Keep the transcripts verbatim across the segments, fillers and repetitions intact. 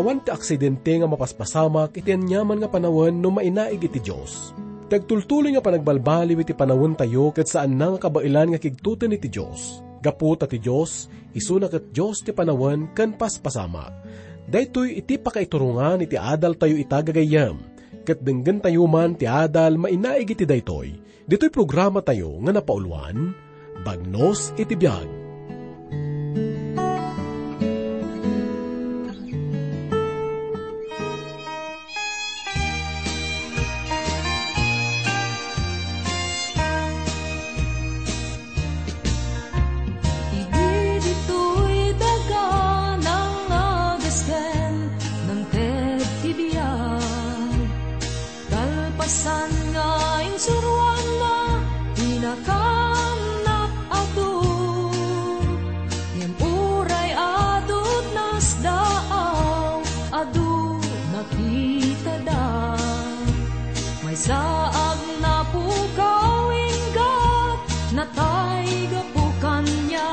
Awan ti aksidente nga mapaspasamak iti aniaman nga panawen no mainaig iti Dios. Ti agtultuloy nga panagbalbaliw iti panawentayo ket saanna nga kabaelan nga kigtoten iti Dios. Gapu ta ti Dios, isuna ket Dios ti panawen ken paspasamak. Daytoy iti pakaiturongan iti adaltayo ita gagayyem, ket denggentayo man ti adal mainaig iti daytoy. Ditoy programatayo nga napauluan, Bagnos iti Biag. Idi ditoy daga nangagesken, nangted ti biag. Kalpasan nga insuroanna ti nakannak adu, ngem uray adut nasdaaw, adu nakitada. Maysa agnapukaw, inggat natay gapu kaniak.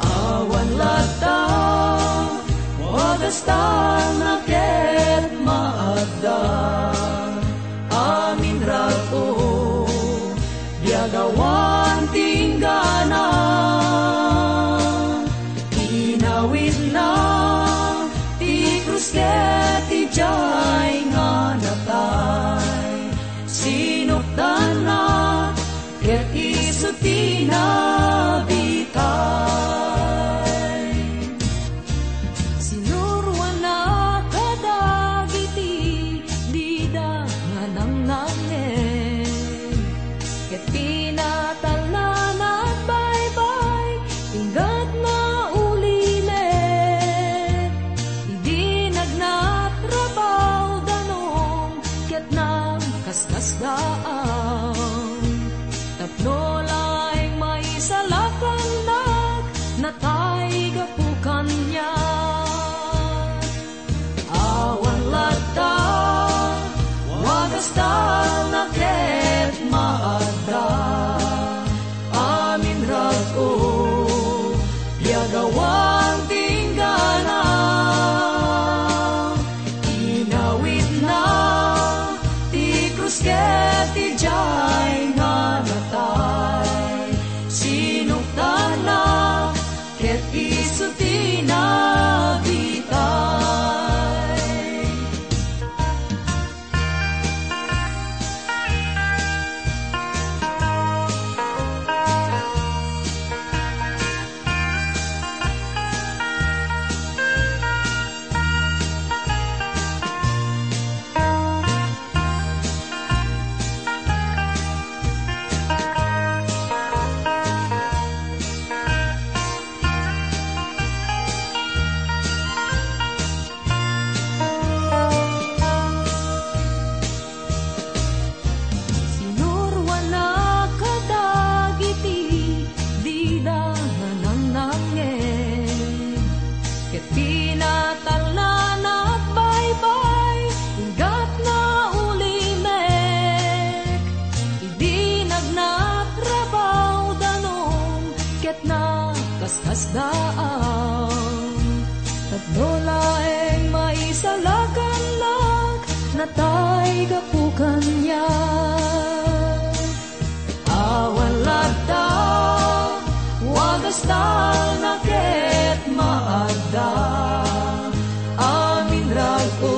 Awan latta, wagastalna ket maadda. Amin rago, biag awan ti inggana. Inawitna ti krus ket idiay nga natay. Sinukdanna ket isu ti nabitay. Sinuroanna kadagiti dida nga nangnangngeg, ket pinatalna nagbaybay, inggatna ulimek. Idi nagnatrabaw danum, ket nagkaskasdaan. Tapno laeng maisalakannak, natay gapu kaniak. Awan latta, wagastalna ket maadda. Amin rago, biag awan ti inggana. Inawitna ti krus ket idiay nga natay. Sinukdanna ket isu ti nabitay. Sinuroanna kadagiti dida nga nangnangngeg, ket pinatalna nagbaybay, inggatna ulimek. Idi nagnatrabaw danum ket nakaskasdaan, tapno laeng maisalakannak, natay gapu kaniak. Awan latta, wagastalna ket maadda. Amin rago,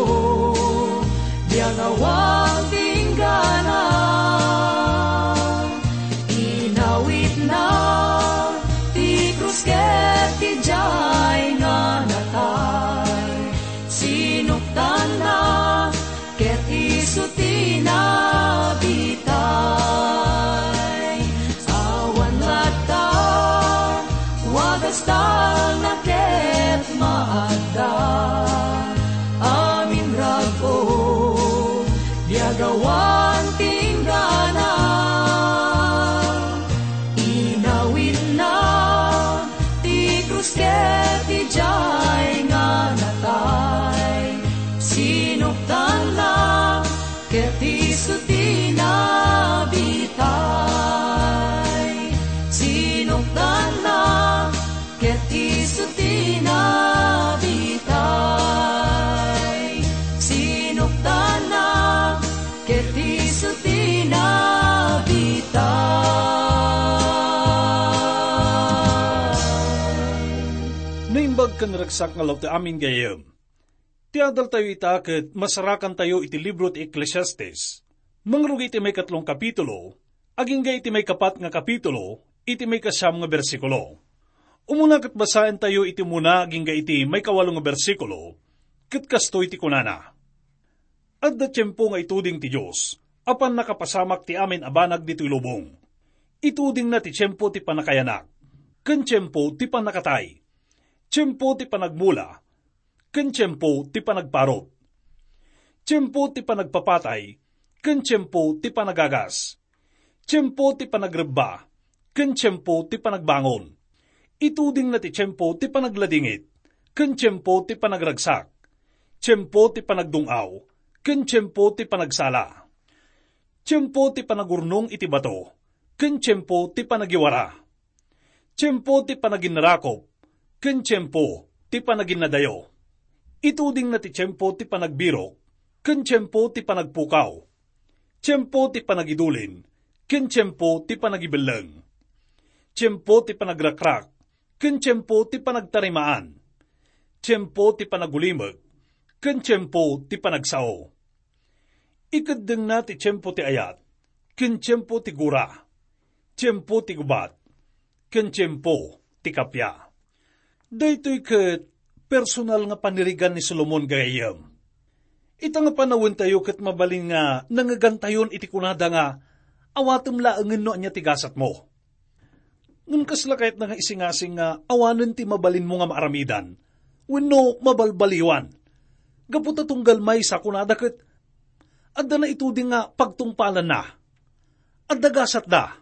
biag awan ti inggana. Inawitna ti krus ket idiay nga natay. Sinuktanna ket isu ti nabitay. Awan latta, wagastalna ket maadda. Amin rago, biag awan ti inggana. Inawitna ti krus ket idiay nga natay. Sinuktanna ket isu ti nabitay. Sinuktanna ket isu ti nabitay. Naragsak nga aldaw ti amin gayam. Ti adaltayo ita ket masarakantayo iti libro ti Eclesiastes. Mangrugi iti maikatlong kapitulo, agingga iti maikapat nga kapitulo, iti maikasiam nga bersikulo. Umuna ket basaentayo iti umuna agingga iti maikawalo nga bersikulo, ket kastoy ti kunana, "Adda tiempo nga ituding ti Dios a pannakapasamak ti amin a banag ditoy lubong. Itudingna ti tiempo ti pannakayanak, ken tiempo ti pannakatay, tiempo ti panagmula, ken tiempo ti panagparut, tiempo ti panagpapatay, ken tiempo ti panagagas, tiempo ti panagrebba, ken tiempo ti panagbangon. Itudingna ti tiempo ti panagladingit, ken tiempo ti panagragsak, tiempo ti panagdung-aw, ken tiempo ti panagsala, tiempo ti panagurnong iti bato, ken tiempo ti panagiwara, tiempo ti panaginnarakop, ken tiempo ti panaginnadayo. Itudingna ti tiempo ti panagbirok, ken tiempo ti panagpukaw, tiempo ti panagidulin, ken tiempo ti panagibelleng, tiempo ti panagrakrak, ken tiempo ti panagtarimaan, tiempo ti panagulimek, ken tiempo ti panagsao." Ikeddengna ti tiempo ti ayat, ken tiempo ti gura, tiempo ti gubat, ken tiempo ti kappia. Daytoy ket personal nga panirigan ni Solomon gayam. Ita nga panawentayo ket mabalin nga nangegantayon iti kunada nga, "Awatem laengen no ania ti gasatmo." Ngem kasla kayatna nga isingasing nga awanen ti mabalinmo nga maaramidan wenno mabalbaliwan. Gapu ta tunggal maysa, kunada ket, adda naituding nga pagtungpalanna. Adda gasatda.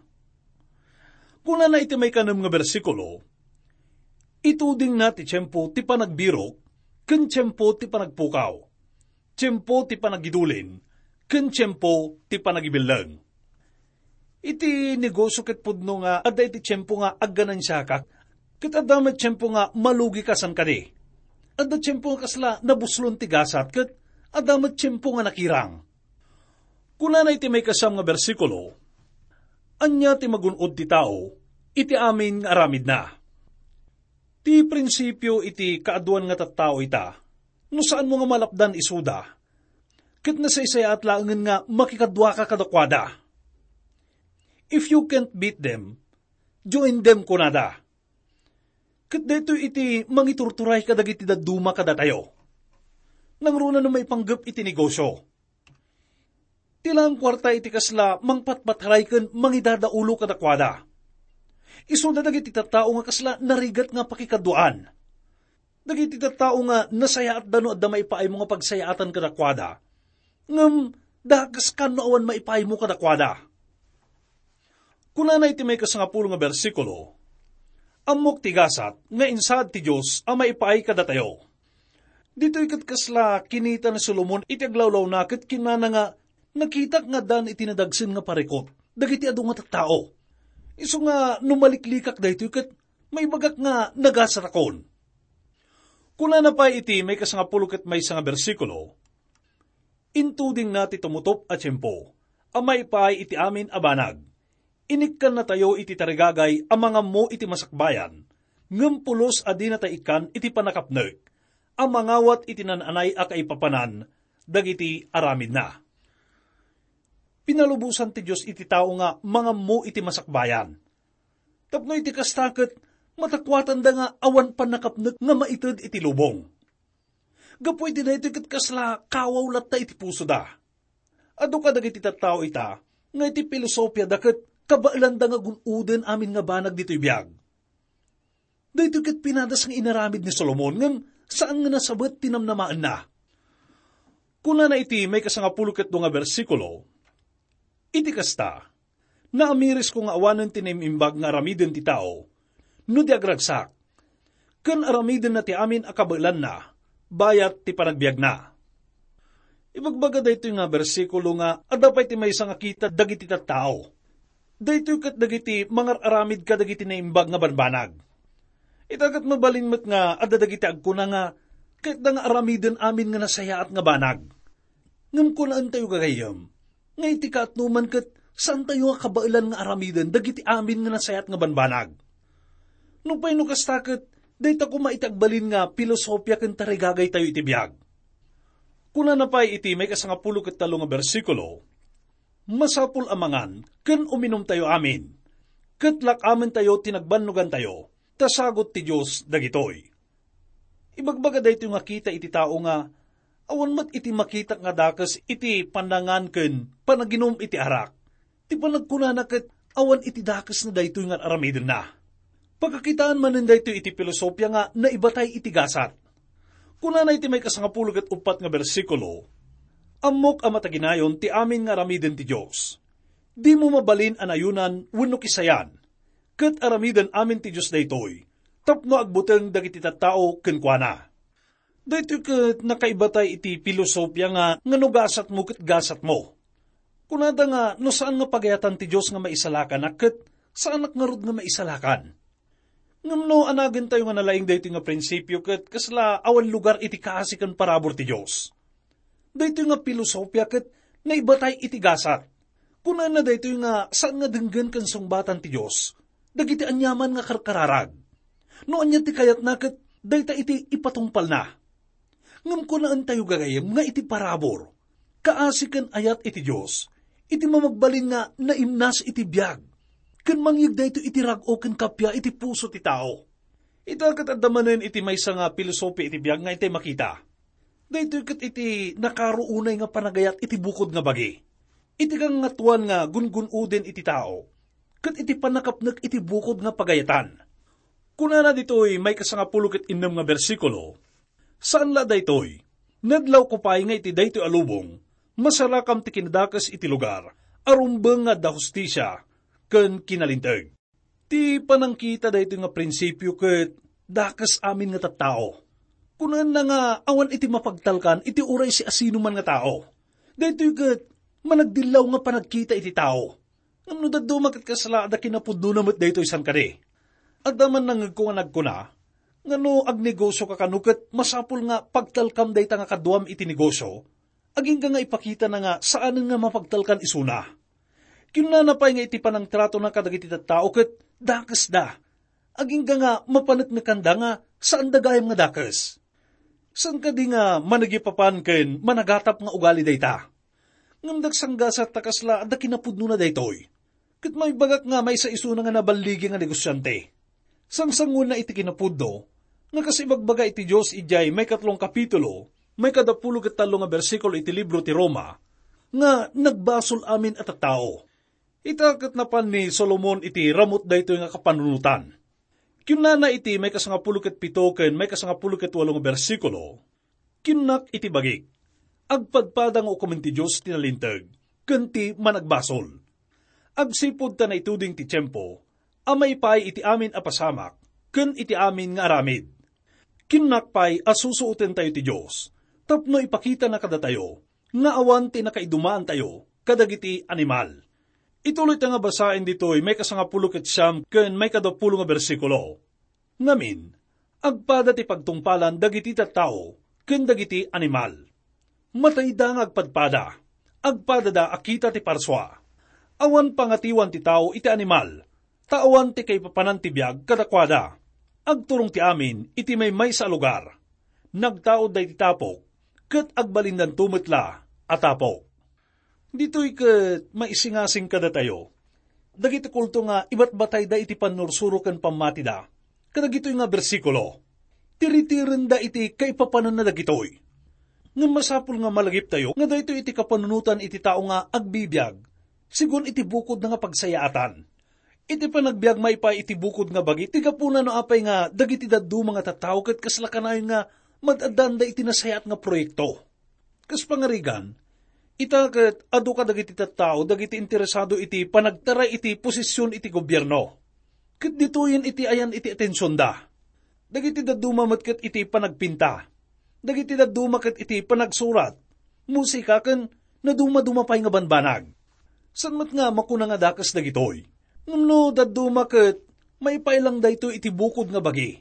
Kunana iti maikanem nga bersikulo, "Itudingna ti tiempo ti panagbirok ken tiempo ti panagpukaw, tiempo ti panagidulin, ken tiempo ti panagibelleng." Iti negosio ket pudno nga adda iti tiempo nga agganansiaka, ket adda met tiempo nga malugika san kadi. Adda tiempo nga kasla nabuslon ti gasat, ket adda met tiempo nga nakirang. Kunana iti maikasiam nga bersikulo, "Ania ti magun-od ti tao iti amin nga aramidna?" Ti prinsipio iti kaaduan nga tattao ita, no saanmo nga malapdan isuda, ket nasaysayaat laengen nga makikaduaka kadakuada. "If you can't beat them, join them," kunada. Ket daytoy iti mangiturturay kadagiti dadduma kadatayo. Nangruna no maipanggep iti negosio. Ti laeng kuarta iti kasla mangpatpatray ken mangidadaulo kadakuada. Isuda dagiti tattao nga kasla narigat nga pakikaduaan. Dagiti tattao nga nasayaatda no adda maipaaymo nga pagsayaatan kadakuada, ngem dakeskan no awan maipaaymo kadakuada. Kunana iti maikasangapulo nga bersikulo, "Ammok ti gasat nga insaad ti Dios a maipaay kadatayo." Ditoy ket kasla kinita ni Solomon iti aglawlawna ket kinunana nga, "Nakitak nga addaan iti nadagsen nga parikut dagiti adu nga tattao. Isu nga no maliklikak daytoy ket maibagak nga nagasatakon." Kunana pay iti maikasangapulo ket maysa nga bersikulo, "Intudingna ti tumutop a tiempo a maipaay iti amin a banag. Inikkannatayo iti tarigagay a mangammo iti masakbayan, ngem pulos a dinata ikkan iti pannakapnek a mangawat iti naan-anay a kaipapanan dagiti aramidna." Pinalubosan ti Dios iti tao nga mangammo iti masakbayan. Tapno iti kasta ket matakuatanda nga awan pannakapnek nga maited iti lubong. Gapu iti daytoy ket kasla kawaw latta iti pusoda. Adu kadagiti tattao ita nga iti pilosopiada ket kabaelanda nga gun-oden amin nga banag ditoy biag. Daytoy ket pinadas nga inaramid ni Solomon, ngem saan nga nasabet ti namnamaenna. Kunana iti maikasangapulo ket dua nga bersikulo, "Iti kasta, naamirisko nga awanen ti naim-imbag nga aramiden ti tao no di agragsak, ken aramidenna ti amin a kabaelanna bayat ti panagbiagna." Ibagbaga daytoy nga bersikulo nga adda pay ti maysa nga kita dagiti tattao. Daytoy ket dagiti mangar-aramid kadagiti naimbag nga banbanag. Ita ket mabalin met nga adda dagiti agkuna nga kayatda nga aramiden amin nga nasayaat nga banag. Ngem kunaentayo gagayyem nga iti kaatnoman ket saantayo nga kabaelan nga aramiden dagiti amin nga nasayaat nga banbanag. Nupay no kasta ket Dayta koma iti agbalin nga pilosopia ken tarigagaytayo iti biag. Kunana pay iti maikasangapulo ket tallo nga bersikulo, "Masapul a mangan ken uminumtayo amin, ket lak-amentayo ti nagbannogantayo, ta sagut ti Dios dagitoy." Ibagbaga daytoy nga kita iti tao nga awan met iti makita nga dakes iti pannangan ken panaginum iti arak. Ti panagkunana ket awan iti dakesna daytoy nga ar-aramidenna. Pakakitaan manen daytoy iti pilosopia nga naibatay iti gasat. Kunana iti maikasangapulo ket uppat nga bersikulo, "Ammok a mataginayon ti amin nga aramiden ti Dios. Dimo mabalin a nayonan wenno kisayan, ket aramiden amin ti Dios daytoy, tapno agbuteng dagiti tattao kenkuana." Daytoy ket nakaibatay iti pilosopia nga, nga no gasatmo ket gasatmo. Kunada nga no saan nga pagayatan ti Dios nga maisalakanak ket saanak ngarud nga maisalakan. Ngem no anagentayo nga nalaing daytoy nga prinsipio ket kasla awan lugar iti kaasi ken parabur ti Dios. Daytoy nga pilosopia ket naibatay iti gasat. Kunana daytoy nga saan nga denggen ken sungbatan ti Dios dagiti aniaman nga karkararag. No ania ti kayatna ket dayta iti ipatungpalna. Ngem kunaentayo gagayyem nga iti parabur, kaasi ken ayat iti Dios, iti mamagbalin nga naimnas iti biag, ken mangyeg daytoy iti rag-o ken kappia iti puso ti tao. Ita ket adda manen iti maysa nga pilosopi iti biag nga intay makita. Daytoy ket iti nakaruonay nga panagayat iti bukod nga bagi. Iti kangngatoan nga gungun-oden iti tao, ket iti pannakapnek iti bukod nga pagayatan. Kunana ditoy maikasangapulo ket innem nga bersikulo, "Saan la daytoy. Nadlawko pay nga iti daytoy a lubong, masarakam ti kinadakes iti lugar a rumbeng nga adda hustisia ken kinalinteg." Ti panangkita daytoy nga prinsipio ket dakes amin nga tattao. Kunana nga awan iti mapagtalkan iti uray siasinoman nga tao. Daytoy ket managdillaw nga panagkita iti tao. Ngem no dadduma ket kasla, adda kinapudnona met daytoy, saan kadi? Adda man nangngegko nga nagkuna nga no agnegosioka kano ket masapul nga pagtalkam dayta nga kaduam iti negosio, agingga nga ipakitana nga saanen nga mapagtalkan isuna. Kinnana pay nga iti panangtratona kadagiti tattao ket dakesda. Agingga nga mapaneknekanda nga saanda gayam nga dakes. Saan kadi nga managyapapan ken managatap nga ugali dayta? Ngem dagsanggasat ta kasla adda kinapudnona daytoy. Ket maibagak nga maysa isuna nga naballigi nga negosiante. Sangsanguenna iti kinapudno nga kas ibagbaga iti Dios idiay maikatlong kapitulo, maikadapulo ket tallo nga bersikulo iti libro ti Roma, nga nagbasol amin a tattao. Ita ket napan ni Solomon iti ramut daytoy nga kapanunotan. Kinnana iti maikasangapulo ket pito ken maikasangapulo ket walo nga bersikulo, "Kinnak iti bagik, agpadpada nga ukomen ti Dios ti nalinteg ken ti managbasol. Agsipud ta naituding ti tiempo a maipaay iti amin a pasamak ken iti amin nga aramid. Kinnak pay a susuotentayo ti Dios tapno ipakitana kadatayo nga awan ti nakaidumaantayo kadagiti animal." Ituloy ta nga basaen ditoy maikasangapulo ket siam ken maikadapulo nga bersikulo. Ngamin, agpada ti pagtungpalan dagiti tattao ken dagiti animal. Matayda nga agpadpada, agpadada a kita ti parsua. Awan pangatiwan ti tao iti animal, ta awan ti kaipapanan ti biag kadakuada. Agturong ti amin iti maymaysa a lugar. Nagtaudda iti tapok, ket agbalindanto met la a tapok. Ditoy ket maisingasing kadatayo dagiti kulto nga ibatbatayda iti pannursuro ken pammatida kadagitoy nga bersikulo. Tiritirenda iti kaipapananna dagitoy. Ngem masapul nga malagiptayo nga daytoy iti kapanunotan iti tao nga agbibiag, sigun iti bukodna nga pagsayaatan. Iti panagbiag maipaay iti bukod nga bagi, ti gapuna no apay nga dagiti dadduma nga tattao ket kasla kanayon nga mad-addaanda iti nasayaat nga proyekto. Kas pangarigan, ita ket adu kadagiti tattao dagiti interesado iti panagtaray iti posisyon iti gobierno. Ket ditoyen iti ayan iti atensionda. Dagiti dadduma met ket iti panagpinta. Dagiti dadduma ket iti panagsurat, musika, ken nadumaduma pay nga banbanag. Saan met nga makuna nga dakes dagitoy. Ngem no dadduma ket, maipaay lang daytoy iti bukod nga bagi.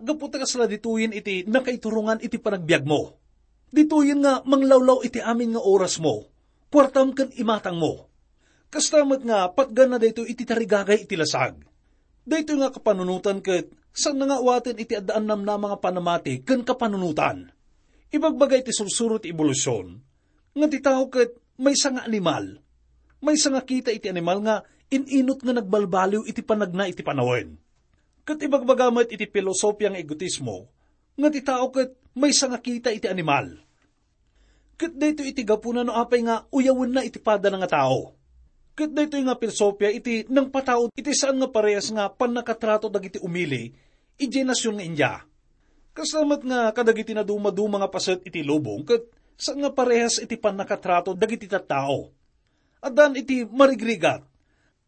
Gapu ta kasla ditoyen iti nakaiturongan iti panagbiagmo. Ditoyen nga manglawlaw iti amin nga orasmo, kuartam ken imatangmo. Kasta met nga patganna daytoy iti tarigagay iti lasag. Daytoy nga kapanunotan ket Saan nga awaten iti adda annamnama nga panamati ken kapanunotan. Ibagbaga iti sursuro ti ebolusyon nga ti tao ket maysa nga animal. Maysa nga kita iti animal nga in-inut nga nagbalbaliw iti panagna iti panawen. Ket ibagbaga met iti filosofia nga egotismo nga ti tao ket maysa nga kita iti animal. Ket daytoy iti gapuna no apay nga uyawenna iti padana nga tao. Ket daytoy nga filosofia iti nangpataud iti saan nga parehas nga pannakatrato dagiti umili idiay nasion nga India. Kasta met nga kadagiti nadumaduma nga paset iti lubong ket saan nga parehas iti pannakatrato dagiti tattao. Addan iti marigrigat.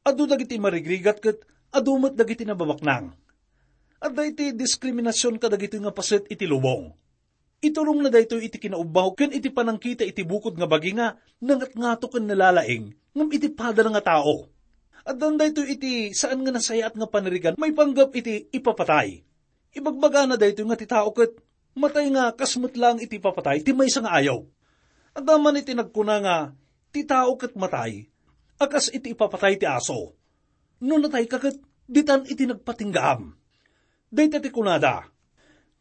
Adu dagiti marigrigat ket adu met dagiti nababaknang. Adda iti diskriminasion kadagitoy nga paset iti lubong. Iturongna daytoy iti kinaubbaw ken iti panangkita iti bukod nga bagi nga nangatngato ken nalalaing ngem iti padana nga tao. Addan daytoy iti saan nga nasayaat nga panirigan maipanggep iti ipapatay. Ibagbagana daytoy nga ti tao ket matay nga kas met laeng iti ipapatay ti maysa nga ayup. Adda man iti nagkuna nga ti tao ket matay a kas iti ipapatay ti aso. No natayka ket ditan iti nagpatinggaam. Dayta ti kunada.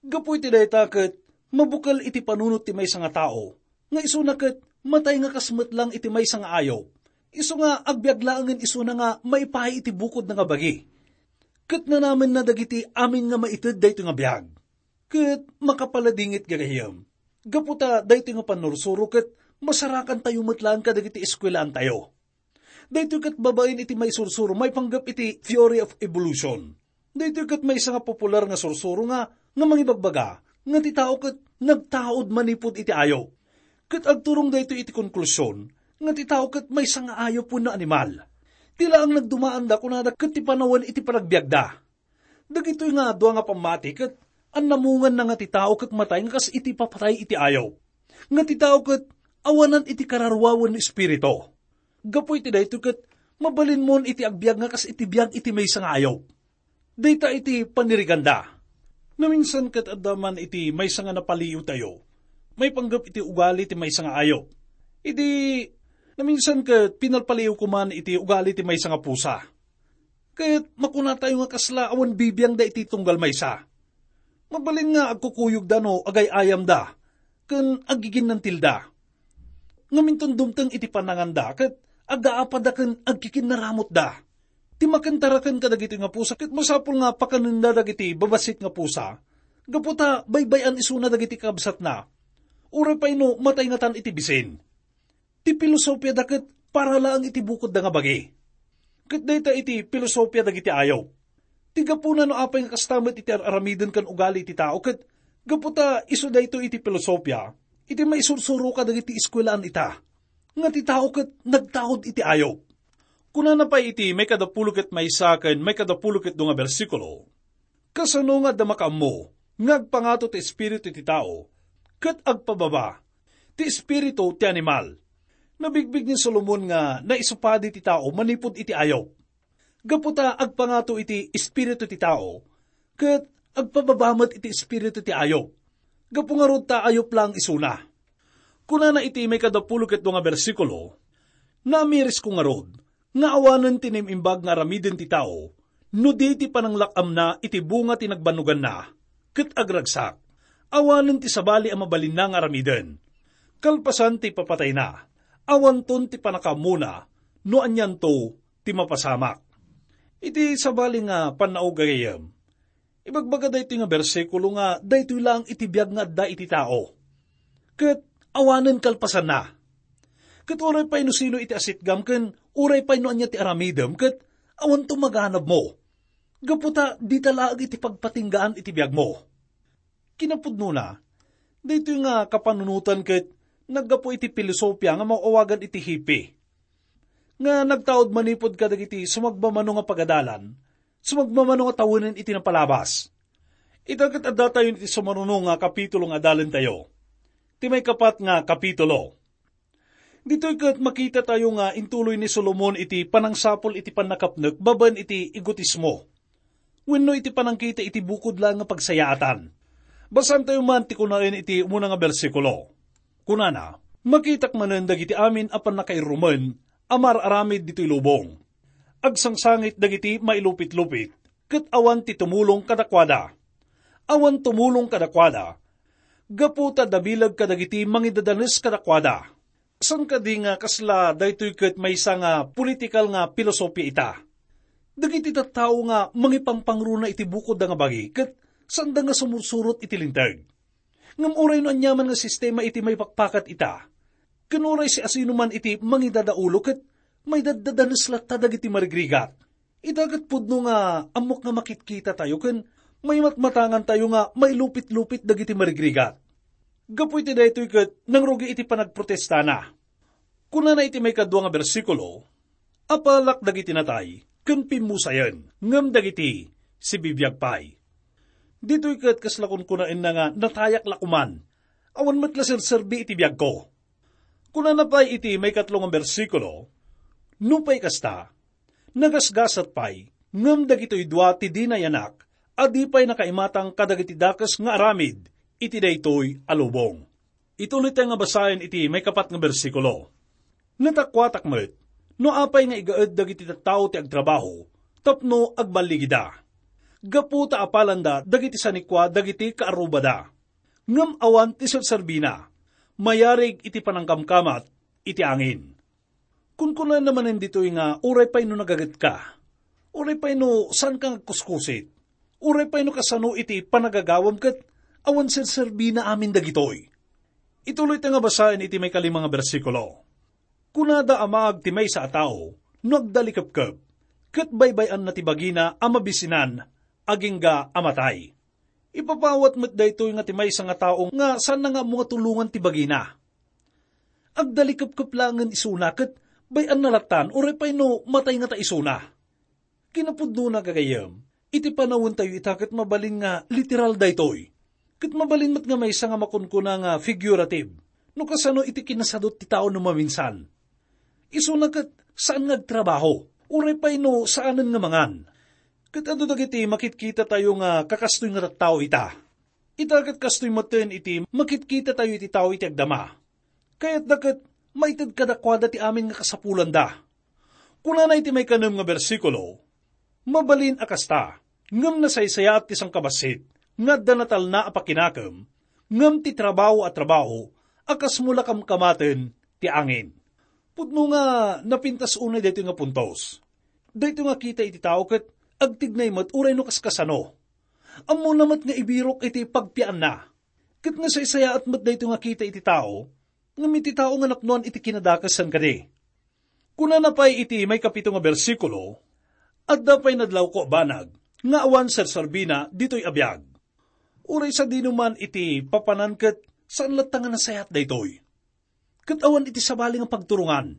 Gapu iti dayta ket mabukel iti panunot ti maysa nga tao nga isuna ket matay nga kas met laeng iti maysa nga ayup. Isu nga agbiag laengen isuna nga maipaay iti bukodna nga bagi. Ket nanamenna dagiti amin nga maited daytoy nga biag. Ket makapaladingit gagayyem. Gapu ta daytoy nga pannursuro ket masarakantayo met laeng kadagiti eskuelaantayo. Daytoy ket babaen iti maisursuro maipanggep iti theory of evolution. Daytoy ket maysa nga popular nga sursuro nga, nga mangibagbaga nga ti tao ket nagtaud manipud iti ayup. Ket agturong daytoy iti konklusion nga ti tao ket maysa nga ayup wenno animal. Ti laeng nagdumaanda kunada ket ti panawen iti panagbiagda. Dagitoy nga dua nga pammati ket annamunganna nga ti tao ket matay nga kas iti papatay iti ayup. Nga ti tao ket awanan iti kararua wenno espiritu. Gapu iti daytoy ket mabalinmon iti agbiag nga kas iti biag iti maysa nga ayup. Dayta iti paniriganda. Naminsan ket adda man iti maysa nga napaliiwtayo. Maipanggep iti ugali ti maysa nga ayup. Idi naminsan ket pinalpaliiwko man iti ugali ti maysa nga pusa. Ket makunatayo nga kasla awan bibiangda iti tunggal maysa. Mabalin nga agkukuyogda no agay-ayamda ken aggiginnantilda. Ngaminton dumteng iti pananganda ket agaapada ken agkikinnaramutda. Ti makentaraken kadagiti nga pusa ket masapul nga pakanenda dagiti babassit nga pusa, gapu ta baybay-an isuna dagiti kabsatna. Uray pay no matay ngatan iti bisin. Ti pilosopiada ket para laeng iti bukodda nga bagi. Ket dayta iti pilosopia dagiti ayup. Ti gapuna no apay nga kasta met iti ar-aramiden ken ugali iti tao ket gapu ta isu daytoy iti pilosopia, iti maisursuro kadagiti eskuelaan ita, nga ti tao ket nagtaud iti ayup. Kunana pay iti maikadapulo ket maysa ken maikadapulo ket dua nga bersikulo, "Kasano nga adda makaammo nga agpangato ti espiritu ti tao ket agpababa ti espiritu ti animal?" Nabigbig ni Solomon nga naisupadi ti tao manipud iti ayup. Gapu ta agpangato iti espiritu ti tao, ket agpababa met iti espiritu ti ayup. Gapu ngarud ta ayup laeng isuna. Kunana iti maikadapulo ket dua nga bersikulo, "Naamirisko ngarud nga awanen ti naim-imbag nga aramiden ti tao no di ti pananglak-amna iti bunga ti nagbannoganna, ket agragsak, awanen ti sabali a mabalinna nga aramiden. Kalpasan ti ipapatayna, awanton ti pannakaammona no anianto ti mapasamak." Iti sabali nga pannaog, gagayyem, ibagbaga daytoy nga bersikulo nga daytoy laeng iti biag nga adda iti tao. Ket awanen kalpasanna. Ket uray pay no sino iti asitgam ken uray pay no ania ti aramidem ket awanto maganabmo. Gapu ta dita laeng iti pagpatinggaan iti biagmo. Kinapudnona, daytoy nga kapanunotan ket naggapu iti pilosopia nga maawagan iti hippie, nga nagtaud manipud kadagiti sumagmamano nga pagadalan, sumagmamano nga tawenen iti napalabas. Ita ket addatayon iti sumaruno nga kapitulo nga adalentayo, ti maikapat nga kapitulo. Ditoy ket makitatayo nga intuloy ni Solomon iti panangsapul iti pannakapnek babaen iti egotismo wenno iti panangkita iti bukod laeng nga pagsayaatan. Basaantayo man ti kunaen iti umuna nga bersikulo. Kunana, "Makitak manen dagiti amin a pannakairrumen a mar-aramid ditoy lubong. Agsangsangit dagiti mailupit-lupit, ket awan ti tumulong kadakuada. Awan tumulong kadakuada, gapu ta dabileg kadagiti mangidadanes kadakuada. Saan kadi nga kasla daytoy ket maysa nga politikal nga pilosopia ita? Dagiti tattao nga mangipangpangruna iti bukodda nga bagi ket saanda nga sumursurot iti linteg. Ngem uray no aniaman nga sistema iti maipakpakat ita, ken uray siasinoman iti mangidadaulo ket maidaddadanes latta dagiti marigrigat. Ita ket pudno nga ammok nga makitkitatayo ken maimatmatangantayo nga mailupit-lupit dagiti marigrigat. Gapu iti daytoy ket nangrugi iti panagprotestana. Kunana iti maikadua nga bersikulo, "Apalak dagiti natay ken pimmusayen, ngem dagiti sibibiag pay." Ditoy ket kasla kunkunaenna nga natayak la koman, awan met la serserbi iti biagko. Kunana pay iti maikatlo nga bersikulo, "Nupay kasta, nagasgasat pay, ngem dagitoy dua ti di nayanak a di pay nakaimatang kadagiti dakes nga aramid iti daytoy a lubong." Ituloyta nga basaen iti maikapat nga bersikulo. "Natakuatak met no apay nga igaed dagiti tattao ti agtrabaho tapno agballigida, gapu ta apalanda dagiti sanikua dagiti kaarrubada. Ngem awan ti serserbina, mayarig iti panangkamkamat iti angin." Kunkunana manen ditoy nga uray pay no nagagetka, uray pay no saanka nga agkuskusit, uray pay no kasano iti panagagawam ket awan serserbina amin dagitoy. Ituloyta nga basaen iti maikalima nga bersikulo. Kunada a maag ti maysa a tao no agdalikepkep, ket baybay-anna ti bagina a mabisinan agingga a matay. Ipapawat met daytoy nga ti maysa nga tao nga saanna nga ammo nga tulongan ti bagina. Agdalikepkep laengen isuna ket bay-anna lattan uray pay no matay ngata isuna. Kinapudnona, gagayyem, iti panawentayo ita ket mabalin nga literal daytoy. Ket mabalin met nga maysa nga makunkuna nga figurative, no kasano iti kinasadut ti tao no maminsan. Isuna ket saan nga agtrabaho, uray pay no saanen nga mangan. Ket adu dagiti makitkitatayo nga kakastoy nga tattao ita. Ita ket kastoy metten iti makitkitatayo iti tao iti agdama. Kayatda ket maited kadakuada ti amin nga kasapulanda. Kunana iti maikanem nga bersikulo, "Mabalin a kasta, ngem nasaysayaat ti sangkabassit nga adda natalna a pakinakem, ngem ti trabaho a trabaho a kasmo la kamkamaten ti angin." Pudno nga napintas unay daytoy nga puntos. Daytoy nga kita iti tao ket agtignay met uray no kaskasano. Ammona met nga ibirok iti pagpiaanna. Ket nasaysayaat met daytoy nga kita iti tao, ngem iti tao nga napnoan iti kinadakes saan kadi. Kunana pay iti maikapito nga bersikulo, "Adda pay nadlawko a banag nga awan serserbina ditoy a biag. Uray sadinoman iti papanan ket saan latta nga nasayaat daytoy." Ket awan iti sabali nga pagturongan.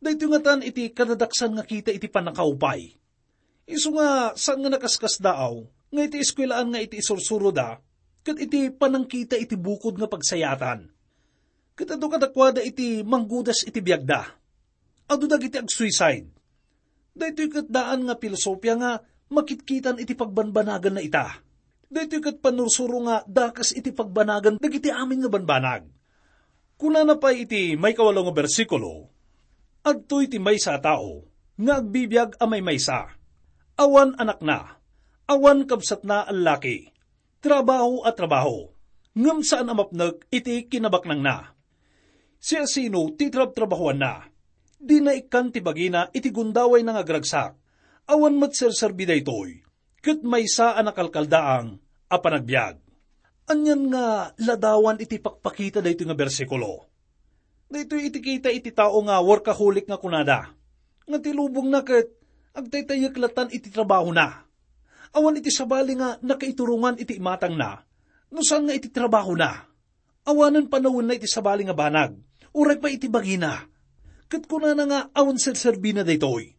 Daytoy ngatan iti kadadaksan nga kita iti pannakaupay. Isu nga saan nga nakaskasdaaw nga iti eskuelaan nga iti isursuroda ket iti panangkita iti bukod nga pagsayaatan. Ket adu kadakuada iti manggudas iti biagda. Adu dagiti agsuicide. Daytoy ket daan nga pilosopia nga makitkitan iti pagbanbanaganna ita. Daytoy ket pannursuro nga dakes iti pagbanagan dagiti amin nga banbanag. Kunana pay iti maikawalo nga bersikulo, "Adtoy ti maysa a tao nga agbibiag a maymaysa. Awan anakna, awan kabsatna a laki. Trabaho a trabaho, ngem saan a mapnek iti kinabaknangna. Siasino ti trabtrabahoanna? Dina ikkan ti bagina iti gundawayna nga agragsak. Awan met serserbi daytoy, ket maysa a nakalkaldaang a panagbiag." Anian nga ladawan iti pakpakita daytoy nga bersikulo? Daytoy iti kita iti tao nga workaholic nga kunada, nga ti lubongna ket agtaytayek latan iti trabahona. Awan iti sabali nga nakaiturongan iti imatangna, no saan nga iti trabahona. Awanen panawenna iti sabali nga banag, uray pay iti bagina. Ket kunana nga awan serserbina daytoy.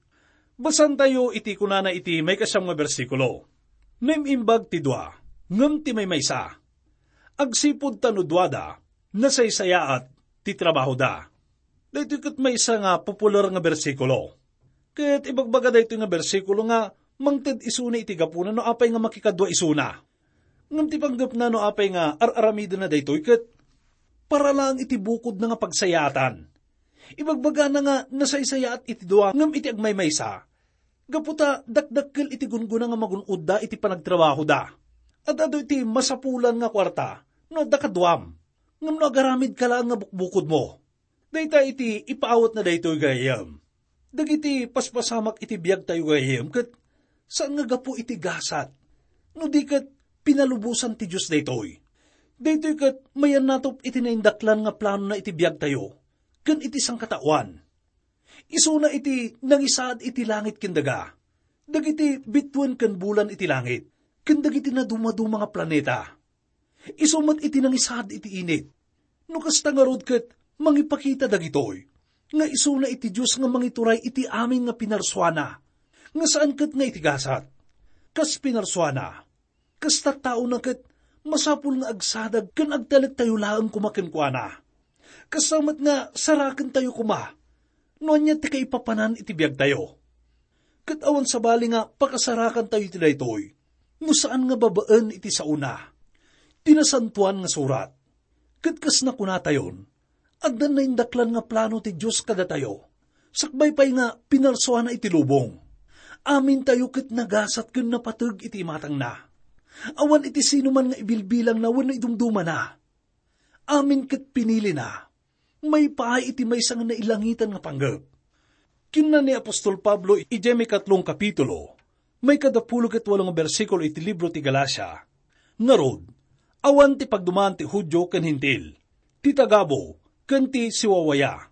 Basantayo iti kunana iti maikasiam nga bersikulo, "Naim-imbag ti dua, ngem ti maymaysa, agsipud ta no duada, nasaysayaat ti trabahoda." Daytoy ket maysa nga popular nga bersikulo. Ket ibagbaga daytoy nga bersikulo nga mangted isuna iti gapuna no apay nga makikadua isuna. Ngem ti panggepna no apay nga ar-aramidenna daytoy ket para laeng iti bukodna nga pagsayaatan. Ibagbagana nga nasaysayaat iti dua ngem iti agmaymaysa, Gapu ta dakdakkel iti gunggona nga magun-odda iti panagtrabahoda. Ad-adu iti masapulan nga kuarta no adda kaduam, ngem no agaramidka laeng nga bukbukodmo. Dayta iti ipaawatna daytoy, gayyem. Dagiti paspasamak iti biagtayo, gayyem, ket saan nga gapu iti gasat, no di ket pinalubosan ti Dios daytoy. Daytoy ket mayannatop iti naindaklan nga planona iti biagtayo ken iti sangkataoan. Isuna iti nangisaad iti langit ken daga, dagiti bituen ken bulan iti langit, ken dagiti nadumaduma nga planeta. Isu met iti nangisaad iti init. No kasta ngarud ket mangipakita dagitoy, nga isuna iti Dios nga mangituray iti amin nga pinarsuana, nga saan ket nga iti gasat. Kas pinarsuana, kas tattaona ket masapul nga agsadag ken agtalektayo laeng koma kenkuana. Kasta met nga sarakentayo koma no ania ti kaipapanan iti biagtayo. Ket awan sabali nga pakasarakantayo iti daytoy no saan nga babaen iti saona, ti Nasantoan nga Surat. Ket kas nakunatayon, adda naindaklan nga plano ti Dios kadatayo, sakbay pay nga pinarsuana iti lubong. Amintayo ket nagasat ken napateg iti imatangna. Awan iti sinuman nga ibilbilangna wenno idumdumana. Amin ket pinilina, maipaay iti maysa nga nailangitan nga panggep. Kinuna ni apostol Pablo idiay maikatlong kapitulo, maikadapulo ket walo nga bersikulo iti libro ti Galacia, "Ngarud, awan ti pagdumaan ti Judio ken Hentil, ti tagabu ken ti siwawaya,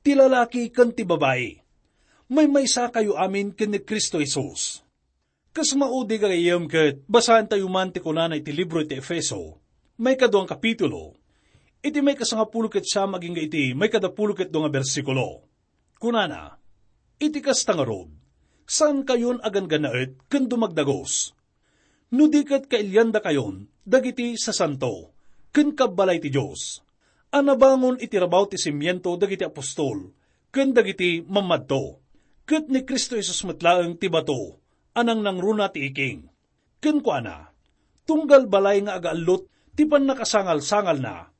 ti lalaki ken ti babai. Maymaysakayo amin ken ni Cristo Jesus." Kas maudi, gayyem, ket basaentayo man ti kunana iti libro iti Efeso, maikaduang kapitulo, iti maikasangapulo ket siam agingga iti maikadapulo ket dua nga bersikulo. Kunana, "Iti kasta ngarud, saankayon a ganggannaet ken dumagdagus. No di ket kailiandakayon dagiti sasanto ken kabbalay ti Dios, a nabangon iti rabaw ti simiento dagiti apostol ken dagiti mammadto, ket ni Cristo Jesus met laeng ti bato a nangnangruna ti iking." Kenkuana, tunggal balay nga agaallot ti pannakasangalsangalna.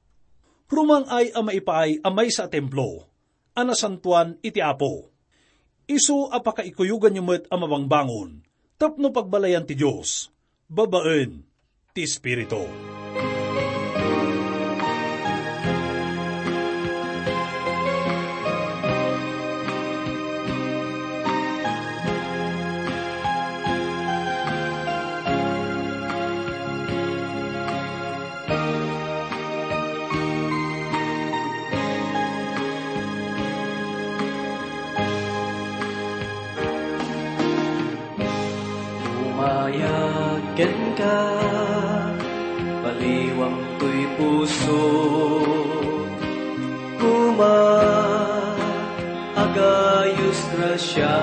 Rumang-ay a maipaay a maysa a templo a nasantoan iti Apo. Isu a pakaikuyoganyo met a mabangbangon tapno pagbalayan ti Dios babaen ti Espiritu. Umayag kenka, baliwam toy puso. Koma, agayos grasia,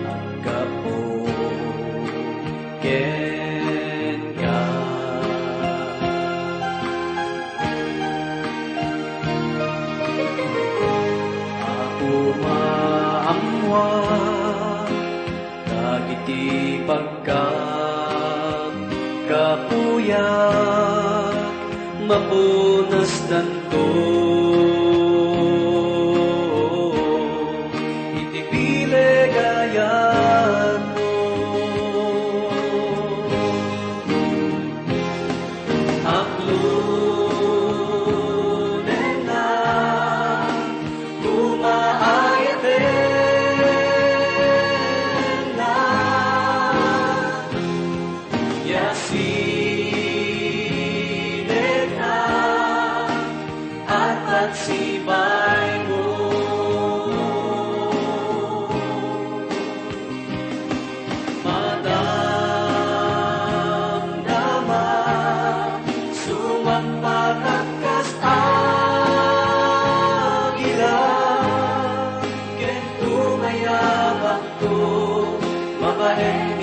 aggapu kenka. Apo, maammoak dagiti pagkakapuyak, mapunasdanto iti bileg a yatmo. Aklonenna, kumaayatenna, ya sinekna, at at sipay mo. Madamdama, sumagpakak kas agila, ken tumayabakto, babaen